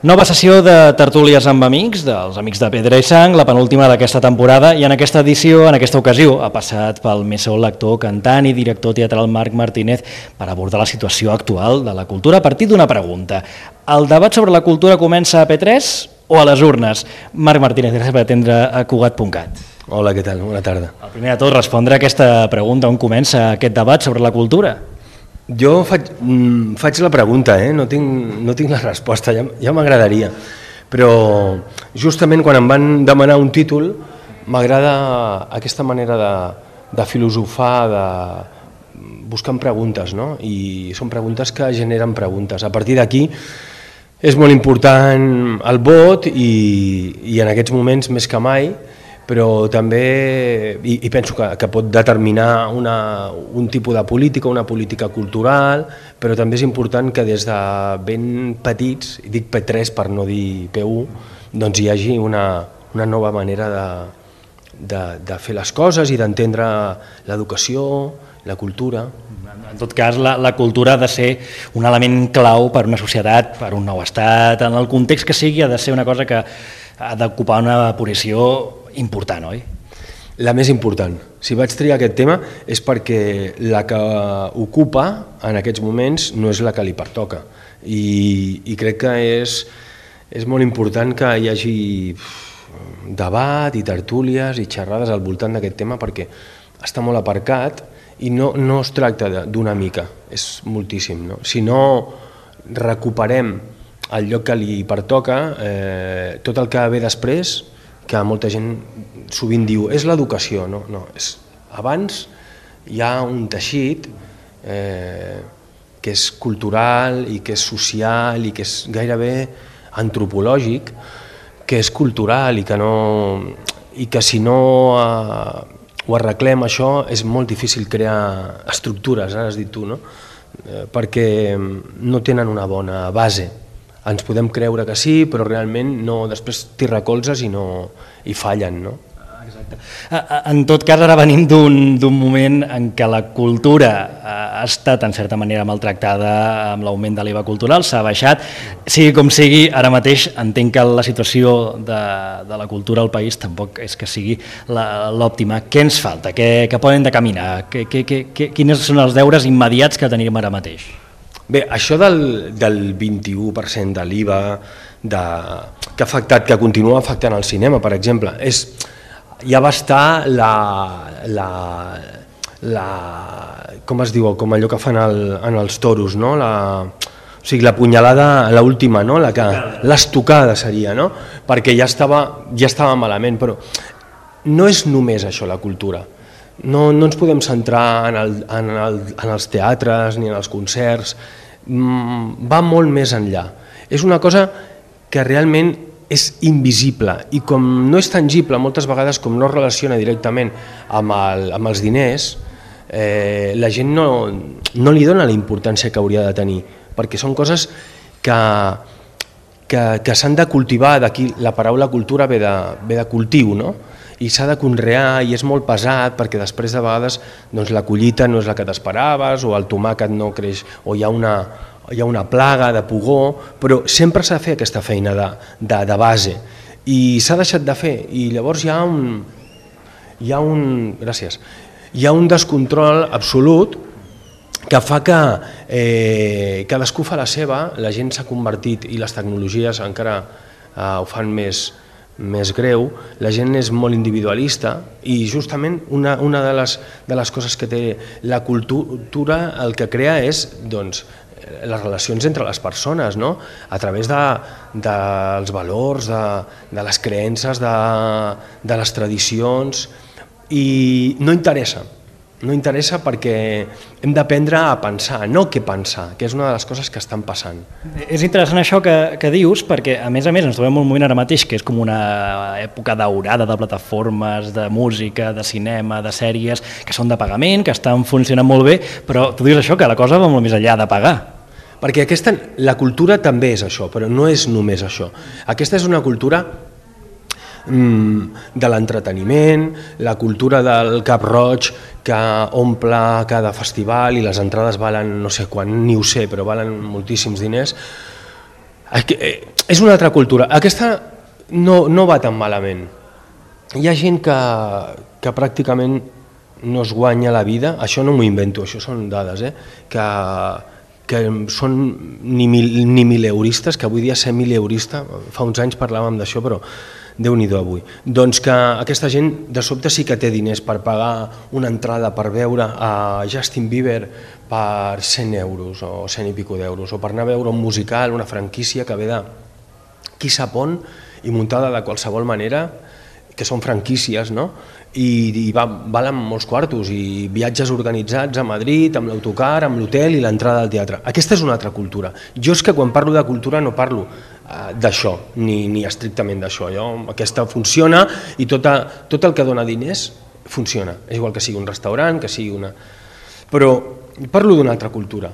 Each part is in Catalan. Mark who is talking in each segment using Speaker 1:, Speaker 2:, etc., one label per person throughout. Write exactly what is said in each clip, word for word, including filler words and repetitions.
Speaker 1: Nova sessió de tertúlies amb amics, dels Amics de Pedra i Sang, la penúltima d'aquesta temporada, i en aquesta edició, en aquesta ocasió, ha passat pel més sol l'actor, cantant i director teatral Marc Martínez per abordar la situació actual de la cultura a partir d'una pregunta. El debat sobre la cultura comença a P tres o a les urnes? Marc Martínez, gràcies per atendre a Cugat punt cat.
Speaker 2: Hola, què tal? Bona tarda.
Speaker 1: El primer de tot, respondre a aquesta pregunta, on comença aquest debat sobre la cultura?
Speaker 2: Jo faig, mm, faig la pregunta, eh? no, tinc, no tinc la resposta, ja, ja m'agradaria, però justament quan em van demanar un títol m'agrada aquesta manera de, de filosofar, de buscar preguntes, no? I són preguntes que generen preguntes. A partir d'aquí és molt important el vot i, i en aquests moments més que mai, però també, i, i penso que, que pot determinar una, un tipus de política, una política cultural, però també és important que des de ben petits, i dic P tres per no dir P u, doncs hi hagi una, una nova manera de, de, de fer les coses i d'entendre l'educació, la cultura.
Speaker 1: En tot cas, la, la cultura ha de ser un element clau per una societat, per un nou estat, en el context que sigui, ha de ser una cosa que ha d'ocupar una posició important, oi?
Speaker 2: La més important. Si vaig triar aquest tema és perquè la que ocupa en aquests moments no és la que li pertoca. I, i crec que és, és molt important que hi hagi debat i tertúlies i xerrades al voltant d'aquest tema perquè està molt aparcat i no, no es tracta d'una mica, és moltíssim. No? Si no recuperem el lloc que li pertoca, eh, tot el que ve després, que molta gent sovint diu és l'educació, no, no, és, abans hi ha un teixit eh, que és cultural i que és social i que és gairebé antropològic, que és cultural i que, no, i que si no eh, ho arreglem això és molt difícil crear estructures, ara has dit tu, no? eh, perquè no tenen una bona base. Ens podem creure que sí, però realment no, després t'hi recolzes i, no, i fallen, no?
Speaker 1: Exacte. En tot cas, ara venim d'un moment en què la cultura ha estat en certa manera maltractada amb l'augment de l'I V A cultural, s'ha baixat. Sigui com sigui, ara mateix entenc que la situació de, de la cultura al país tampoc és que sigui l'òptima. Què ens falta? Què, què poden de caminar? Què, què, què, quins són els deures immediats que tenim ara mateix?
Speaker 2: Bé, això del, del vint-i-u per cent de l'I V A de, que ha afectat, que continua afectant el cinema, per exemple, és, ja va estar la, la, la, com es diu, com allò que fan el, en els toros, no? La, o sigui, la punyalada, l'última, no? La que, l'estocada seria, no? Perquè ja estava, ja estava malament, però no és només això la cultura. No, no ens podem centrar en, el, en, el, en els teatres ni en els concerts, mm, va molt més enllà. És una cosa que realment és invisible i com no és tangible, moltes vegades com no es relaciona directament amb, el, amb els diners, eh, la gent no, no li dona la importància que hauria de tenir, perquè són coses que, que, que s'han de cultivar, d'aquí la paraula cultura ve de, ve de cultiu, no? I s'ha de conrear i és molt pesat perquè després de vegades doncs, la collita no és la que t'esperaves o el tomàquet no creix o hi ha una, hi ha una plaga de pugó, però sempre s'ha de fer aquesta feina de, de, de base i s'ha deixat de fer i llavors hi ha un, hi ha un, gràcies, hi ha un descontrol absolut que fa que eh, cadascú fa la seva, la gent s'ha convertit i les tecnologies encara eh, ho fan més més greu, la gent és molt individualista i justament una, una de, les, de les coses que té la cultura el que crea és doncs, les relacions entre les persones, no? A través de, dels valors, de, de les creences, de, de les tradicions i no interessa. No interessa perquè hem d'aprendre a pensar, no què pensar, que és una de les coses que estan passant.
Speaker 1: És interessant això que, que dius, perquè a més a més ens trobem un moment ara mateix que és com una època daurada de plataformes, de música, de cinema, de sèries, que són de pagament, que estan funcionant molt bé, però tu dius això, que la cosa va molt més enllà de pagar.
Speaker 2: Perquè aquesta, la cultura també és això, però no és només això. Aquesta és una cultura de l'entreteniment, la cultura del Cap Roig que omple cada festival i les entrades valen no sé quan, ni ho sé, però valen moltíssims diners. És una altra cultura. Aquesta no, no va tan malament. Hi ha gent que, que pràcticament no es guanya la vida, això no m'ho invento, això són dades, eh? que, que són ni, mil, ni mileuristes, que avui dia ser mileurista, fa uns anys parlàvem d'això, però Déu-n'hi-do avui. Doncs que aquesta gent de sobte sí que té diners per pagar una entrada per veure a Justin Bieber per cent euros o cent i pico d'euros, o per anar a veure un musical, una franquícia que ve de qui sap on i muntada de qualsevol manera, que són franquícies, no? i, i va, valen molts quartos, i viatges organitzats a Madrid, amb l'autocar, amb l'hotel i l'entrada al teatre. Aquesta és una altra cultura. Jo és que quan parlo de cultura no parlo uh, d'això, ni, ni estrictament d'això. Aquesta funciona i tota, tot el que dona diners funciona. És igual que sigui un restaurant, que sigui una... Però parlo d'una altra cultura.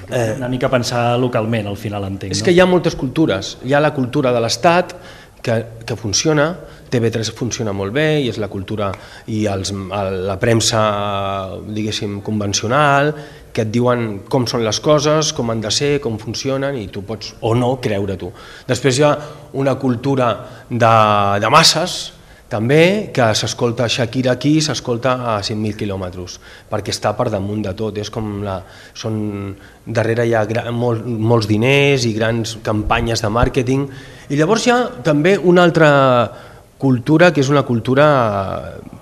Speaker 1: Eh, una mica pensar localment, al final entenc.
Speaker 2: És
Speaker 1: no?
Speaker 2: que hi ha moltes cultures. Hi ha la cultura de l'Estat, que, que funciona, T V tres funciona molt bé, i és la cultura i els, la premsa, diguéssim, convencional, que et diuen com són les coses, com han de ser, com funcionen, i tu pots o no creure tu. Després hi ha una cultura de, de masses, també, que s'escolta Shakira aquí, s'escolta a cinc mil quilòmetres, perquè està per damunt de tot. És com la, són, darrere hi ha gra, mol, molts diners i grans campanyes de màrqueting. I llavors hi ha també una altra cultura, que és una cultura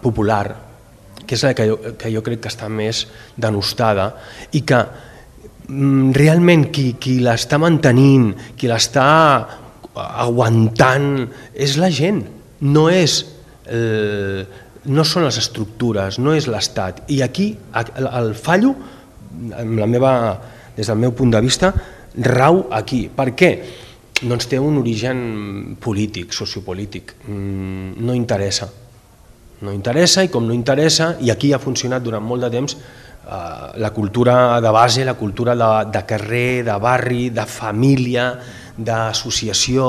Speaker 2: popular, que és la que jo, que jo crec que està més denostada, i que mm, realment qui, qui l'està mantenint, qui l'està aguantant, és la gent, no és el, no són les estructures, no és l'Estat. I aquí el fallo, amb la meva, des del meu punt de vista, rau aquí. Per què? Doncs té un origen polític, sociopolític. No interessa. No interessa, i com no interessa, i aquí ha funcionat durant molt de temps, la cultura de base, la cultura de, de carrer, de barri, de família, d'associació,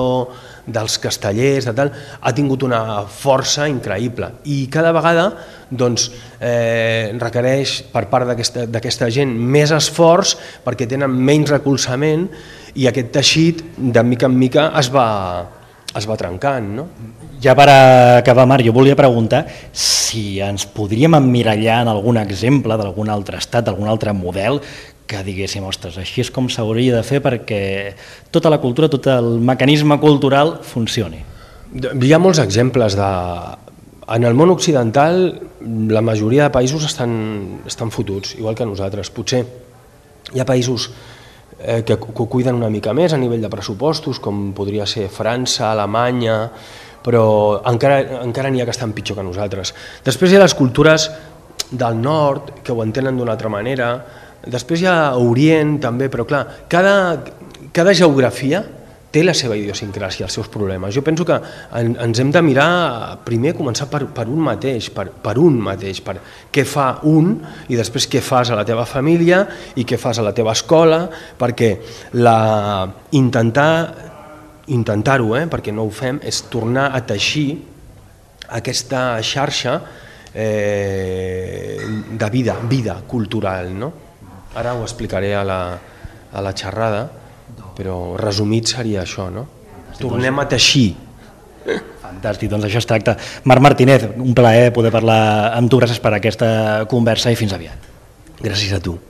Speaker 2: dels castellers, de tal, ha tingut una força increïble, i cada vegada doncs, eh, requereix per part d'aquesta gent més esforç, perquè tenen menys recolzament, i aquest teixit de mica en mica es va, es va trencant. No?
Speaker 1: Ja per acabar, Marc, jo volia preguntar si ens podríem emmirallar en algun exemple d'algun altre estat, d'algun altre model, que diguéssim, ostres, així és com s'hauria de fer perquè tota la cultura, tot el mecanisme cultural funcioni.
Speaker 2: Hi ha molts exemples de... En el món occidental la majoria de països estan, estan fotuts, igual que nosaltres. Potser hi ha països eh, que, que ho cuiden una mica més a nivell de pressupostos, com podria ser França, Alemanya, però encara, encara n'hi ha que estan pitjor que nosaltres. Després hi ha les cultures del nord, que ho entenen d'una altra manera. Després hi ha Orient també, però clar, cada, cada geografia té la seva idiosincràsia, els seus problemes. Jo penso que en, ens hem de mirar, primer començar per, per un mateix, per, per un mateix, per què fa un i després què fas a la teva família i què fas a la teva escola, perquè la, intentar, intentar-ho, eh, perquè no ho fem, és tornar a teixir aquesta xarxa eh, de vida, vida cultural, no? Ara ho explicaré a la, a la xerrada, però resumit seria això, no? Tornem a teixir.
Speaker 1: Fantàstic, doncs això es tracta. Marc Martínez, un plaer poder parlar amb tu, gràcies per aquesta conversa i fins aviat.
Speaker 2: Gràcies a tu.